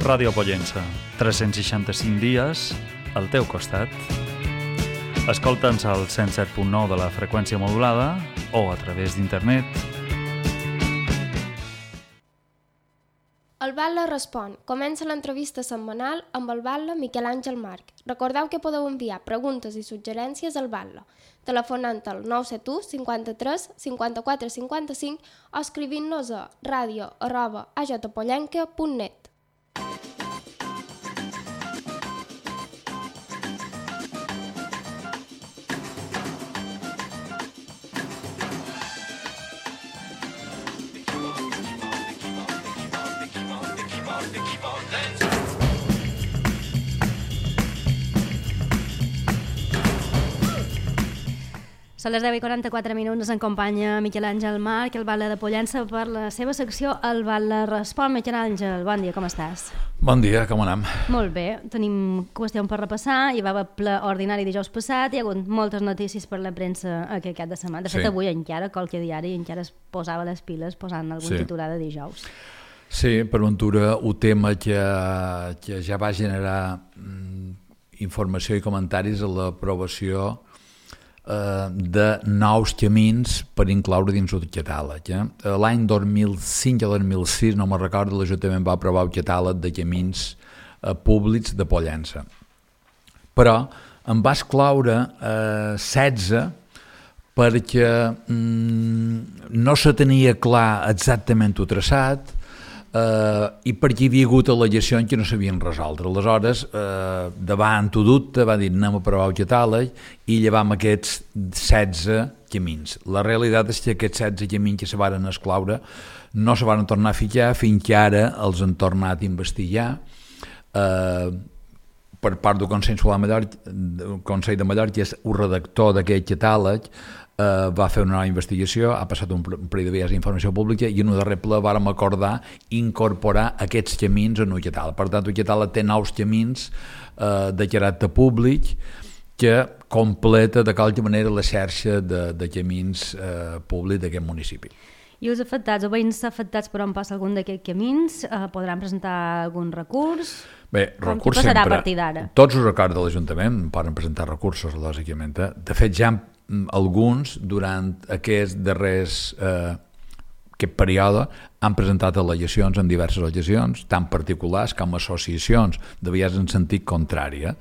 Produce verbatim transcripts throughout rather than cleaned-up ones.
Ràdio Pollença, tres-cents seixanta-cinc dies al teu costat. Escolta'ns al cent set punt nou de la freqüència modulada o a través d'internet. El Batlle respon. Comença l'entrevista setmanal amb el Batlle Miquel Àngel March. Recordeu que podeu enviar preguntes i suggerències al Batlle, telefonant al nou set u cinquanta-tres cinquanta-quatre cinquanta-cinc o escrivint-nos a radio arroba a j pollenca punt net. A les deu i quaranta-quatre minuts ens acompanya Miquel Àngel March, el Batlle de Pollença, per la seva secció El Batlle respon. Miquel Àngel, bon dia, com estàs? Bon dia, com anem? Molt bé, tenim qüestions per repassar. Hi va haver ple ordinari dijous passat, hi ha hagut moltes notícies per la premsa aquest cap de setmana. De fet, sí. Avui encara, qualque diari encara es posava les piles posant algun sí. titular de dijous. Sí, per ventura, un tema que, que ja va generar mm, informació i comentaris a l'aprovació de nous camins per incloure dins el catàleg. Eh? L'any dos mil cinc o dos mil sis, no me'n recordo, l'Ajuntament va aprovar el catàleg de camins eh, públics de Pollença. Però en va excloure eh, setze perquè mm, no se tenia clar exactament el traçat Uh, i perquè hi havia hagut al·legacions que no s'havien resolt. Aleshores, uh, davant ho dubte, va dir anem a provar el catàleg i llevam aquests setze camins. La realitat és que aquests setze camins que se varen excloure no se van tornar a ficar fins que ara els han tornat a investigar uh, per part del Consell de Mallorca, el Consell de Mallorca, que és el redactor d'aquest catàleg. Uh, va fer una nova investigació, ha passat un parell de vegades d'informació pública i en un darrer ple vàrem acordar incorporar aquests camins en un catàleg. Per tant, el catàleg té nous camins uh, de caràcter públic que completa de qualque manera la xarxa de, de camins uh, públics d'aquest municipi. I els afectats, o veïns afectats per on passa algun d'aquests camins, uh, podran presentar algun recurs? Bé, com recurs passarà sempre. A partir d'ara? Tots els acords de l'Ajuntament poden presentar recursos, lògicament. De fet, ja alguns, durant aquest darrers eh, aquest període, han presentat al·legacions en diverses al·legacions, tant particulars com associacions, de vegades en sentit contrari. Eh?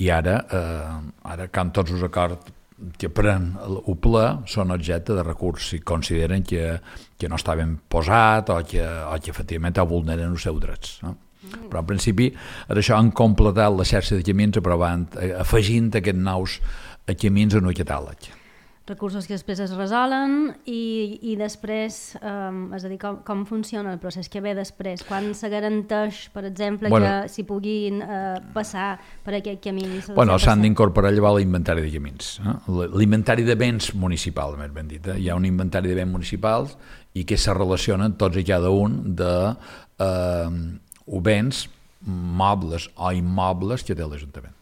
I ara, eh, ara, com tots els acords que pren el ple, són objecte de recurs si consideren que, que no estaven posats o que, o que efectivament vulneren els seus drets. No? Però en principi, ara això han completat la xarxa de camins aprovant, afegint aquests nous camins en un catàleg. Recursos que després es resolen i, i després, um, és a dir, com, com funciona el procés que ve després? Quan se garanteix, per exemple, bueno, que s'hi puguin uh, passar per aquest camí? Bueno, s'han d'incorporar llavors l'inventari de camins. Eh? L'inventari de béns municipals, més ben dit. Eh? Hi ha un inventari de béns municipals i que se relacionen tots i cada un de eh, béns mobles o immobles que té l'Ajuntament.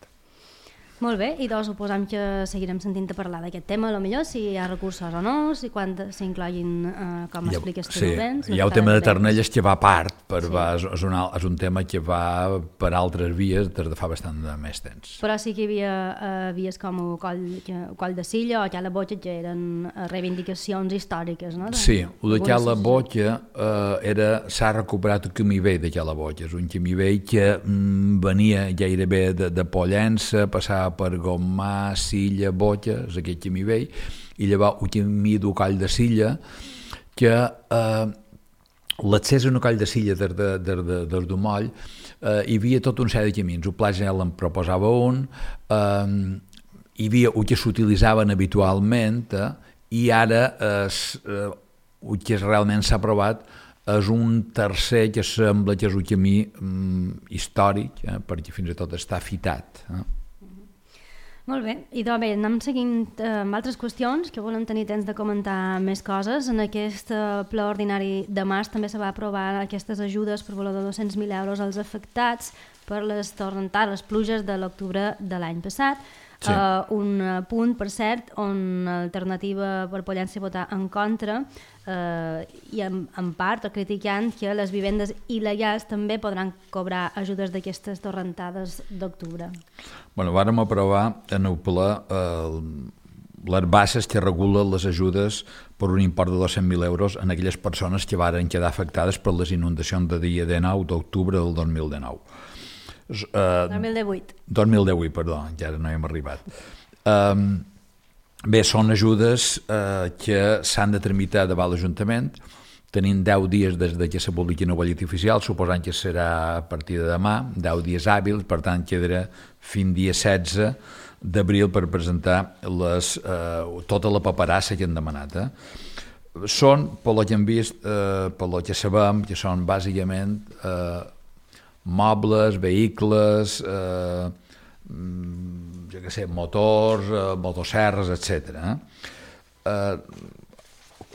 Molt bé, i doncs suposam que seguirem sentint a parlar d'aquest tema, a lo millor, si hi ha recursos o no, si quan s'incloguin, eh, com ha, expliques tu, sí, béns. Hi ha el tema de Ternelles que va a part, per sí. va, és, un, és un tema que va per altres vies des de fa bastant de més temps. Però sí que hi havia eh, vies com el coll, el coll de Silla o Cala Botja, que eren reivindicacions històriques, no? De, sí, el de Cala Botja eh, era, s'ha recuperat el camí vell de Cala Botja, és un camí vell que mm, venia gairebé de, de Pollença, passava per Gomà, Silla, Botja, és aquest camí vell, i llavors el camí del coll de Silla, que eh, l'accés a un coll de Silla des de, des de, des de Moll, eh, hi havia tot un sèrie de camins. El Pla General en proposava un, eh, hi havia el que s'utilitzaven habitualment, eh, i ara eh, eh, el que realment s'ha aprovat és un tercer que sembla que és un camí mm, històric, eh, perquè fins i tot està fitat. Eh? Molt bé, i doncs bé, anem seguint eh, amb altres qüestions que volem tenir temps de comentar més coses. En aquest eh, ple ordinari de març també se va aprovar aquestes ajudes per valor de dos-cents mil euros als afectats per les torrentades, les pluges de l'octubre de l'any passat. Sí. Uh, un punt, per cert, on l'alternativa per Pollença votar en contra uh, i en, en part criticant que les vivendes il·legals també podran cobrar ajudes d'aquestes torrentades d'octubre. Bueno, vàrem aprovar en el ple uh, les bases que regulen les ajudes per un import de dos-cents mil euros en aquelles persones que varen quedar afectades per les inundacions de dia dinou d'octubre del dos mil dinou. Uh, dos mil divuit. dos mil divuit, perdó, encara no hem arribat. Um, bé, són ajudes uh, que s'han de tramitar davant l'Ajuntament, tenint deu dies des de que se publiqui en el butlletí oficial, suposant que serà a partir de demà, deu dies hàbils, per tant quedarà fins dia setze d'abril per presentar les, uh, tota la paperassa que han demanat. Eh? Són, pel que hem vist, uh, pel que sabem, que són bàsicament uh, mobles, vehicles, eh, jo què sé, motors, eh, motosserres, etcètera. Eh,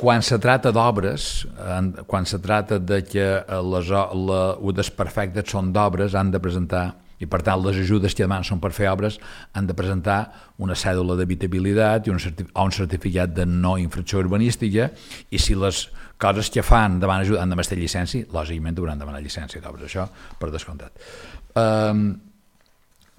quan se trata d'obres, eh, quan se trata de que les, la, els desperfectes són d'obres, han de presentar, i per tant les ajudes que demanen són per fer obres, han de presentar una cèdula d'habitabilitat i un, certif o un certificat de no infracció urbanística, i si les coses que fan davant ajuda han de mestre llicència, lògicament hauran de demanar llicència d'obres, això per descomptat. Um,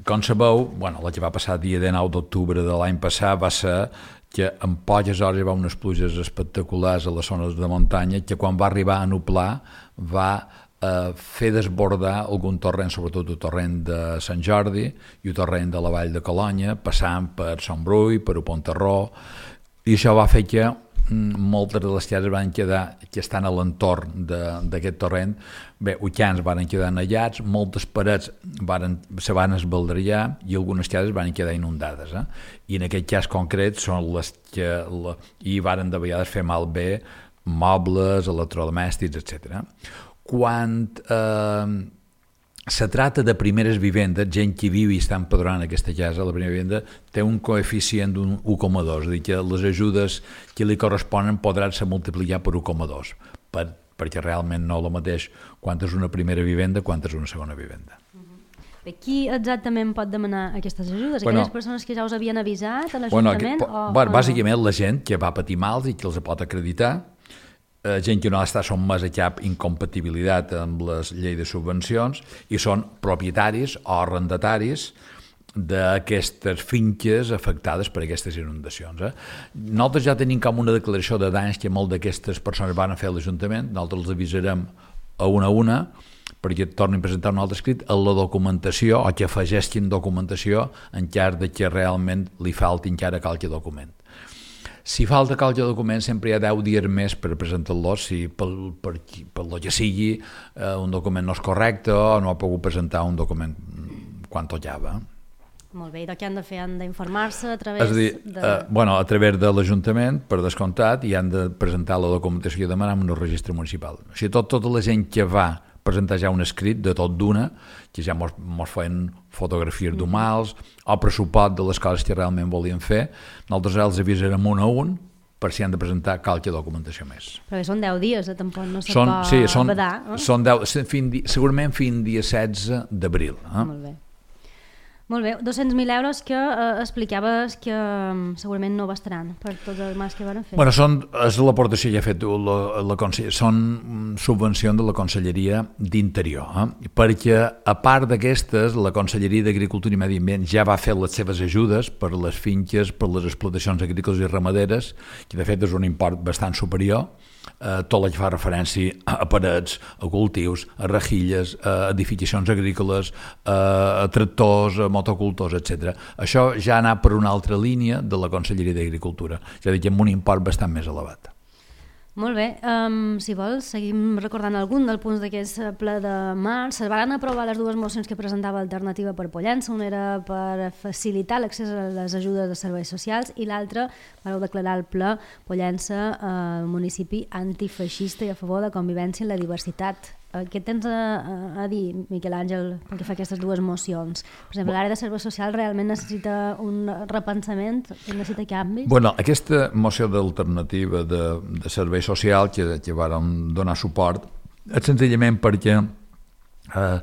com sabeu, bueno, el que va passar dia dinou d'octubre de l'any passat va ser que en poques hores hi va unes pluges espectaculars a les zones de muntanya que quan va arribar a nublar va eh, fer desbordar algun torrent, sobretot el torrent de Sant Jordi i el torrent de la Vall de Colonya, passant per Sant Brull, per Pontarró, i això va fer que moltes de les cases van quedar, que estan a l'entorn d'aquest torrent, bé, ucans van quedar anellats, moltes parets varen, se van esbaldriar i algunes cases van quedar inundades. Eh? I en aquest cas concret són les que la, i varen de vegades fer malbé mobles, electrodomèstics, etcètera. Quan eh, se trata de primeres vivendes, gent que viu i està empadronant en aquesta casa, la primera vivenda té un coeficient d'un u coma dos, és a dir, que les ajudes que li corresponen podran ser multiplicar per u coma dos, per, perquè realment no és el mateix quan és una primera vivenda quan és una segona vivenda. Bé, qui exactament pot demanar aquestes ajudes? Aquelles bueno, persones que ja us havien avisat a l'Ajuntament? Bueno, o, bàsicament o no? La gent que va patir mals i que els pot acreditar, Eh, gent que no està sotmesa a cap incompatibilitat amb les lleis de subvencions i són propietaris o arrendataris d'aquestes finques afectades per aquestes inundacions. Eh? Nosaltres ja tenim com una declaració de danys que molt d'aquestes persones van a fer a l'Ajuntament, nosaltres els avisarem a una a una perquè tornin a presentar un altre escrit a la documentació o que afegessin documentació en cas de que realment li falti encara qualque document. Si falta qualque document, sempre hi ha deu dies més per presentar-los, si per, per, per lo que sigui eh, un document no és correcte o no ha pogut presentar un document quan tocava. Molt bé, i què han de fer? Han d'informar-se a través és a dir, de... Eh, bueno, a través de l'Ajuntament, per descomptat, i han de presentar la documentació que demanen en un registre municipal. O sigui, tot, tota la gent que va presentar ja un escrit de tot d'una, que ja mos, mos feien fotografies d'humals o pressupost de les coses que realment volien fer, nosaltres els avisarem un a un per si han de presentar qualque documentació més. Però bé, són deu dies, eh? Tampoc no se són, pot sí, són, badar. Eh? Són deu, fin, segurament fins dia setze d'abril. Eh? Molt bé. Molt bé, dos-cents mil euros que eh, explicaves que um, segurament no bastaran per tots els mals que van fer. Bueno, són, és l'aportació que ha fet la, la Conselleria, són subvencions de la Conselleria d'Interior, eh? Perquè a part d'aquestes, la Conselleria d'Agricultura i Medi Ambient ja va fer les seves ajudes per les finques, per les explotacions agrícoles i ramaderes, que de fet és un import bastant superior, eh, tot el que fa referència a parets, a cultius, a rejilles, a edificacions agrícoles, a, a tractors, a motocultors, etcètera. Això ja ha anat per una altra línia de la Conselleria d'Agricultura, és a dir, que amb un import bastant més elevat. Molt bé, um, si vols, seguim recordant algun dels punts d'aquest ple de març. Es van aprovar les dues mocions que presentava Alternativa per Pollença. Una era per facilitar l'accés a les ajudes de serveis socials i l'altra per declarar el ple Pollença eh, municipi antifeixista i a favor de convivència i la diversitat. Què tens a, a dir, Miquel Àngel, pel que fa aquestes dues mocions? Per exemple, l'àrea de serveis socials realment necessita un repensament, necessita canvis? Bueno, aquesta moció d'alternativa de, de serveis socials que, que vàrem donar suport és senzillament perquè eh,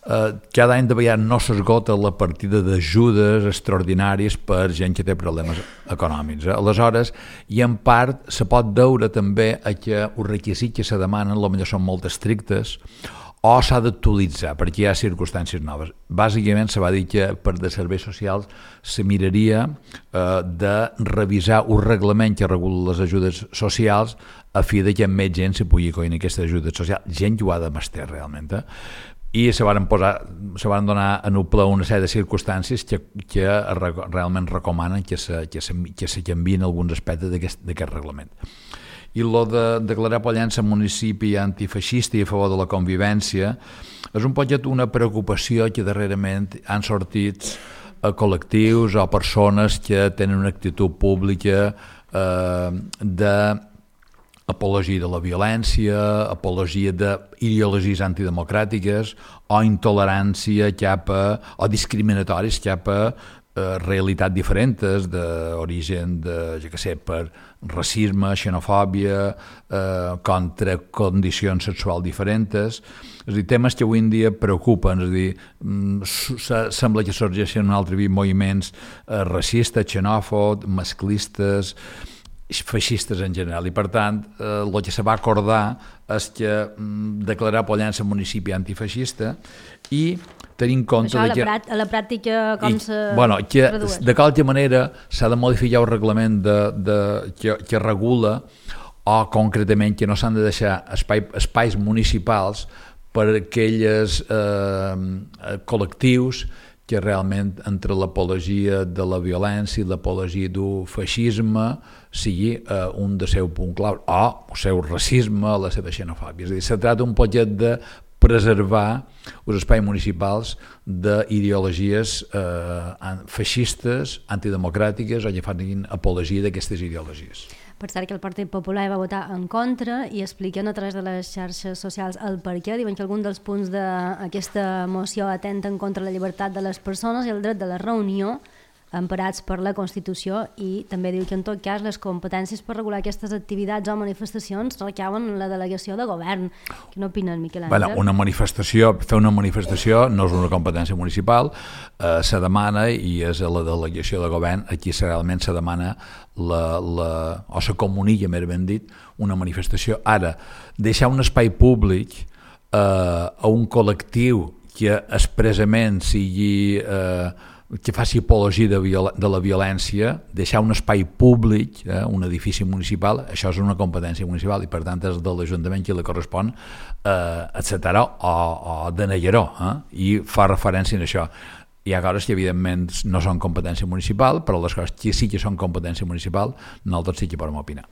eh, cada any de vegades no s'esgota la partida d'ajudes extraordinàries per gent que té problemes econòmics. Eh? Aleshores, i en part se pot veure també a que els requisits que se demanen potser són molt estrictes o s'ha d'actualitzar perquè hi ha circumstàncies noves. Bàsicament se va dir que per de serveis socials se miraria eh, de revisar un reglament que regula les ajudes socials a fi de que més gent se pugui coir aquestes ajudes socials. Gent que ho ha de mestre realment. Eh? I se van posar, se van donar en un ple una sèrie de circumstàncies que, que realment recomanen que se, que se, que se canviïn alguns aspectes d'aquest reglament. I el de declarar Pollença municipi antifeixista i a favor de la convivència és un poquet una preocupació que darrerament han sortit a col·lectius o persones que tenen una actitud pública eh, d'apologia de la violència, apologia d'ideologies antidemocràtiques o intolerància cap a, o discriminatoris cap a realitats diferents d'origen de, jo què sé, per racisme, xenofòbia, eh, contra condicions sexuals diferents. És a dir, temes que avui en dia preocupen, és a dir, sembla que sorgeixen un altre moviments eh, racistes, xenòfobs, masclistes, feixistes en general, i per tant eh, el que se va acordar és que mm, declarar Pollença municipi antifeixista i tenir en compte... Això a la, que, pràct, a la pràctica com i, se bueno, que tradueix? De qualque manera s'ha de modificar el reglament de, de, que, que regula o concretament que no s'han de deixar espai, espais municipals per a aquells eh, col·lectius que realment entre l'apologia de la violència i l'apologia del feixisme sigui eh, un del seu punt clau, o el seu racisme, la seva xenofòbia. És a dir, se tracta un poquet de preservar els espais municipals d'ideologies eh, feixistes, antidemocràtiques o que fan apologia d'aquestes ideologies. Per cert que el Partit Popular va votar en contra i expliquen a través de les xarxes socials el per què. Diuen que algun dels punts d'aquesta moció atenten contra la llibertat de les persones i el dret de la reunió emparats per la Constitució, i també diu que en tot cas les competències per regular aquestes activitats o manifestacions recauen en la delegació de govern. Què n'opines, Miquel Àngel? Bueno, una manifestació, fer una manifestació no és una competència municipal, eh, se demana, i és a la delegació de govern, aquí realment se demana la, la, o se comunica, més ben dit, una manifestació. Ara, deixar un espai públic eh, a un col·lectiu que expressament sigui... Eh, que faci apologia de, viol de la violència, deixar un espai públic, eh, un edifici municipal, això és una competència municipal i per tant és de l'Ajuntament qui li correspon eh, acceptar-ho o, o denegar-ho, eh, i fa referència a això. Hi ha coses que evidentment no són competència municipal, però les coses que sí que són competència municipal nosaltres sí que podem opinar.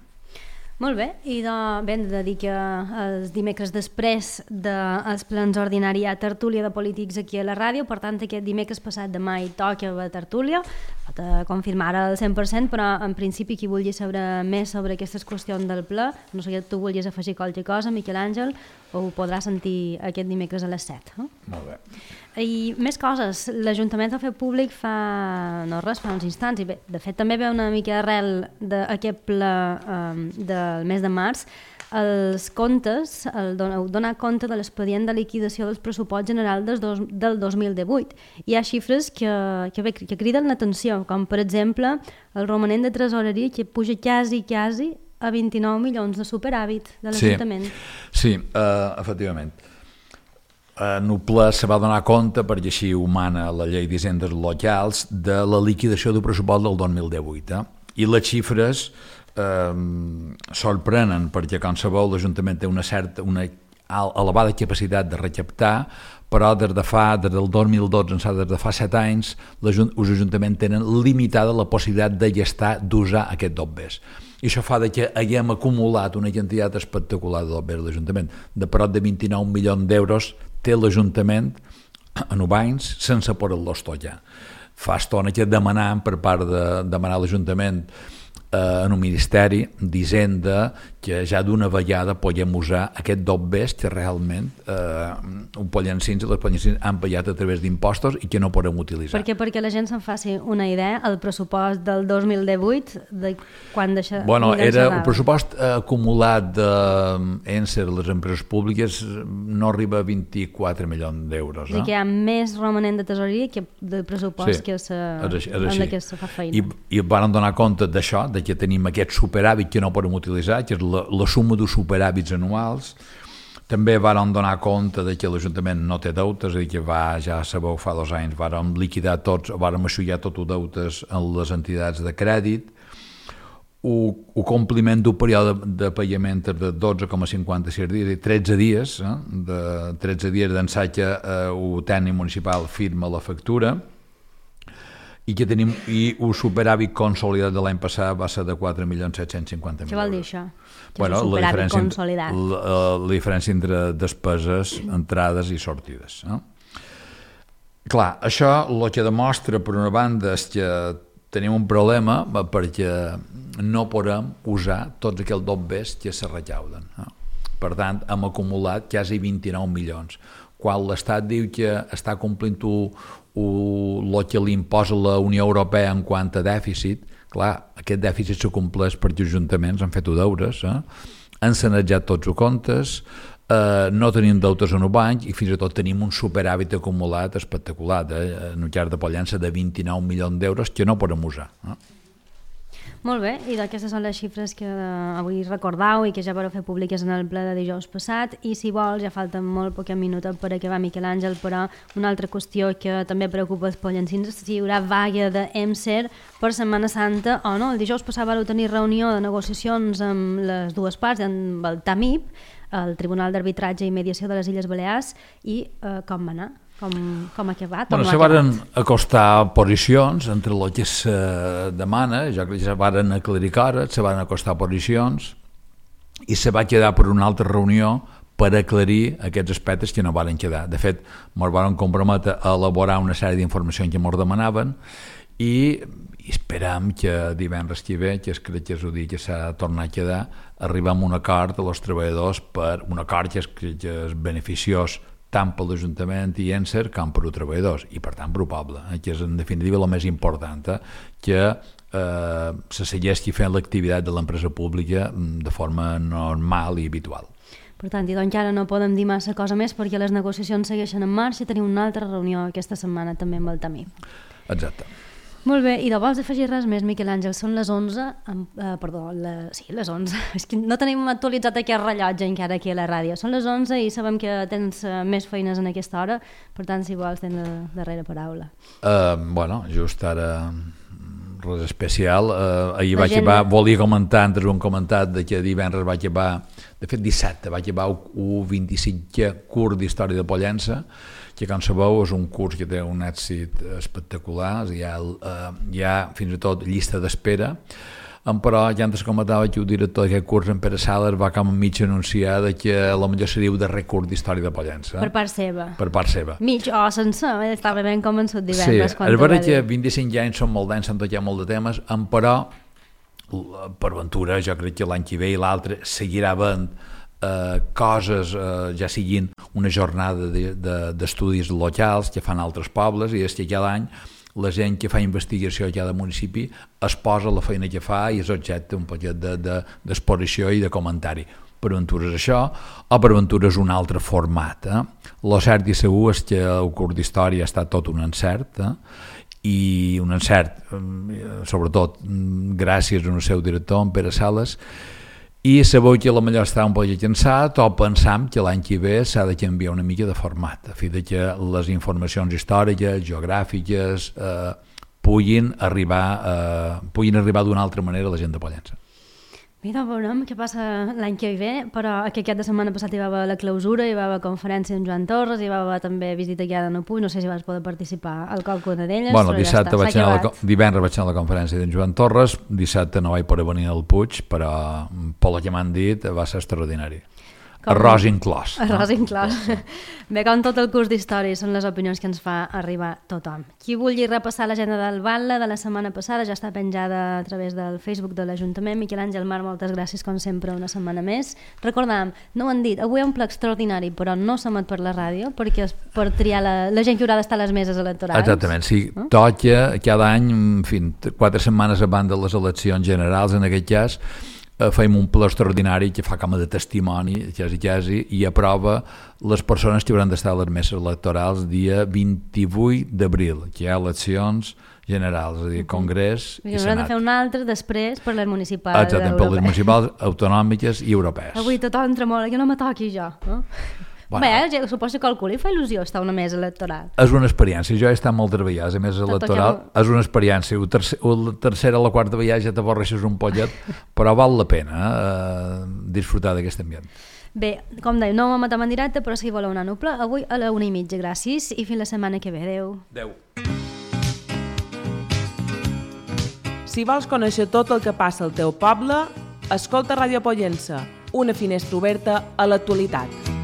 Molt bé, i de, ben de dir que els dimecres després dels plens ordinaris hi ha tertúlia de polítics aquí a la ràdio, per tant aquest dimecres passat demà hi toca la tertúlia, pot confirmar al cent per cent, però en principi qui vulgui saber més sobre aquestes qüestions del ple, no sé que tu vulguis afegir qualque cosa, Miquel Àngel, ho podrà sentir aquest dimecres a les set. Eh? Molt bé. I més coses, l'Ajuntament ha fet públic fa, no res, fa uns instants, i bé, de fet també ve una mica arrel d'aquest ple um, del mes de març, els comptes, el don, donar compte de l'expedient de liquidació del pressupost general del, dos, del dos mil divuit. Hi ha xifres que, que, bé, que criden l'atenció, com per exemple el romanent de tresoreria que puja quasi, quasi a vint-i-nou milions de superàvit de l'Ajuntament. Sí, sí uh, efectivament. En el ple se va donar compte, perquè així ho mana la llei d'hisendes locals, de la liquidació del pressupost del dos mil divuit. Eh? I les xifres eh, sorprenen, perquè com sabeu l'Ajuntament té una certa, una elevada capacitat de recaptar, però des de fa, des del dos mil dotze, des de fa set anys, els ajuntaments tenen limitada la possibilitat de gastar, d'usar aquest dobbers. I això fa que haguem acumulat una quantitat espectacular de dobbers de l'Ajuntament. De prop de vint-i-nou milions d'euros té l'Ajuntament en Ubains sense poder-los tocar. Fa estona que demanant per part de demanar l'Ajuntament eh, en un ministeri d'Hisenda que ja d'una vegada podem usar aquest dobbers que realment eh, un Pollencins i les Pollencins han pagat a través d'impostos i que no podem utilitzar. Perquè perquè la gent se'n faci una idea, el pressupost del dos mil divuit, de quan deixa... Bueno, era un pressupost eh, acumulat d'Encer, de, les empreses públiques, no arriba a vint-i-quatre milions d'euros. No? I que hi ha més romanent de tesoreria que de pressupost sí, que se, és així, és en així. què se fa feina. I, i van donar compte d'això, de que tenim aquest superàvit que no podem utilitzar, que és la, la suma dels superàvits anuals. També van donar compte de que l'Ajuntament no té deutes, és a dir, que va, ja sabeu, fa dos anys vàrem liquidar tots, vàrem aixullar tots els deutes en les entitats de crèdit. El compliment d'un període de, de pagament de dotze coma cinquanta-sis dies i tretze dies, eh, de tretze dies d'ençà que eh, el tècnic municipal firma la factura, i que tenim i un superàvit consolidat de l'any passat va ser de quatre milions set-cents cinquanta mil euros. Què vol dir això? Bueno, la diferència, consolidat. La, la diferència entre despeses, entrades i sortides. No? Clar, això el que demostra, per una banda, és que tenim un problema perquè no podem usar tots aquells dobbers que se recauden. No? Per tant, hem acumulat quasi vint-i-nou milions. Quan l'Estat diu que està complint el que li imposa la Unió Europea en quant a dèficit, clar, aquest dèficit s'acompleix perquè els ajuntaments han fet deures, eh? Han sanejat tots els comptes, eh, no tenim deutes en un banc i fins i tot tenim un superàvit acumulat espectacular, eh? En un llarg de Pollença de vint-i-nou milions d'euros que no podem usar. Eh? Molt bé, i d'aquestes són les xifres que avui recordau i que ja vareu fer públiques en el ple de dijous passat, i si vols, ja falten molt pocs minuts per acabar, Miquel Àngel, però una altra qüestió que també preocupa els pollencins és si hi haurà vaga d'Emser per Setmana Santa o no. El dijous passat vau tenir reunió de negociacions amb les dues parts, amb el TAMIP, el Tribunal d'Arbitratge i Mediació de les Illes Balears, i eh, com va anar? Com, com ha acabat? Bueno, se van acostar posicions entre el que se demana, ja que se van aclarir coses, se van acostar posicions i se va quedar per una altra reunió per aclarir aquests aspectes que no van quedar. De fet, ens van comprometre a elaborar una sèrie d'informacions que ens demanaven i esperam que divendres que ve, que és crec que és el dia que s'ha tornat a quedar, arribem a un acord als treballadors per un acord que és, que és beneficiós tant per l'Ajuntament i Encer com per als treballadors i per tant per al poble, eh, que és en definitiva el més important, eh, que eh, se segueixi fent l'activitat de l'empresa pública de forma normal i habitual. Per tant, i doncs ara no podem dir massa cosa més perquè les negociacions segueixen en marxa i tenim una altra reunió aquesta setmana també amb el TAMIP. Exacte. Molt bé, i de vols afegir res més, Miquel Àngel? Són les onze, eh, perdó, la, sí, les onze, és que no tenim actualitzat aquest rellotge encara aquí a la ràdio, són les onze i sabem que tens uh, més feines en aquesta hora, per tant, si vols, tens la darrera paraula. Uh, bueno, just ara res especial, uh, ahir vaig acabar, volia comentar, antes ho hem comentat, de que divendres vaig acabar, de fet dissabte, vaig acabar el vint-i-cinquè curs d'Història de Pollença, que com sabeu és un curs que té un èxit espectacular, hi ha, eh, hi ha fins i tot llista d'espera, però ja antes comentava que el director d'aquest curs, en Pere Sales, va com a mig anunciar que la millor seria el darrer curs d'Història de Pollença. Per part seva. Per part seva. Mig o sense, estava ben convençut divendres. Sí, és veritat que vint-i-cinc anys són molt d'anys, s'han tocat molt de temes, però per ventura jo crec que l'any que ve i l'altre seguirà havent Eh, coses, eh, ja siguin una jornada d'estudis de, de, locals que fan altres pobles, i és que cada any la gent que fa investigació a cada municipi es posa la feina que fa i és objecte un poquet d'exposició de, de, i de comentari. Per aventura és això, o per aventura és un altre format. Eh? Lo cert i segur és que el curs d'història ha estat tot un encert, eh? i un encert, sobretot gràcies al seu director, en Pere Sales, i sabeu que la millor està un poc cansat o pensam que l'any que ve s'ha de canviar una mica de format, a fi de que les informacions històriques, geogràfiques, eh, puguin arribar, eh, puguin arribar d'una altra manera a la gent de Pollença. Mira, veurem què passa l'any que ve, però aquest cap de setmana passat hi va haver la clausura, hi va haver conferència amb Joan Torres, hi va haver també visita guiada en Opuy, no sé si vas poder participar al qualcuna d'elles, bueno, però dissabte ja està, vaig anar la, divendres vaig anar a la conferència d'en Joan Torres, dissabte no vaig poder venir al Puig, però per lo que m'han dit va ser extraordinari. arròs inclòs. Arròs inclòs. Bé, com tot el curs d'història, són les opinions que ens fa arribar tothom. Qui vulgui repassar l'agenda del Batlle de la setmana passada ja està penjada a través del Facebook de l'Ajuntament. Miquel Àngel Marc, moltes gràcies, com sempre, una setmana més. Recordam, no ho han dit, avui hi ha un ple extraordinari, però no s'emet per la ràdio, perquè és per triar la, la gent que haurà d'estar a les meses electorals. Exactament, sí. No? Toca cada any, en fi, quatre setmanes abans de les eleccions generals, en aquest cas, fem un ple extraordinari que fa com de testimoni, quasi, quasi, i aprova les persones que hauran d'estar a les meses electorals dia vint-i-vuit d'abril, que hi ha eleccions generals, és a dir, Congrés i, i Senat. Hauran de fer un altre després per les municipals Exactament, europees. per les municipals, autonòmiques i europees. Avui tothom tremola, que no me toqui jo. No? Bueno, Bé, suposo que algú li fa il·lusió estar una mesa electoral. És una experiència, jo he estat moltes vegades a mesa electoral, que... és una experiència, la tercer, tercera o la quarta vegada ja t'avorreixes un pollet, però val la pena eh, disfrutar d'aquest ambient. Bé, com deia, no m'amatem en directe, però si voleu anar a Nuple, avui a la una i mitja, gràcies, i fins la setmana que ve. Adéu. Adéu. Si vols conèixer tot el que passa al teu poble, escolta Ràdio Pollença, una finestra oberta a l'actualitat.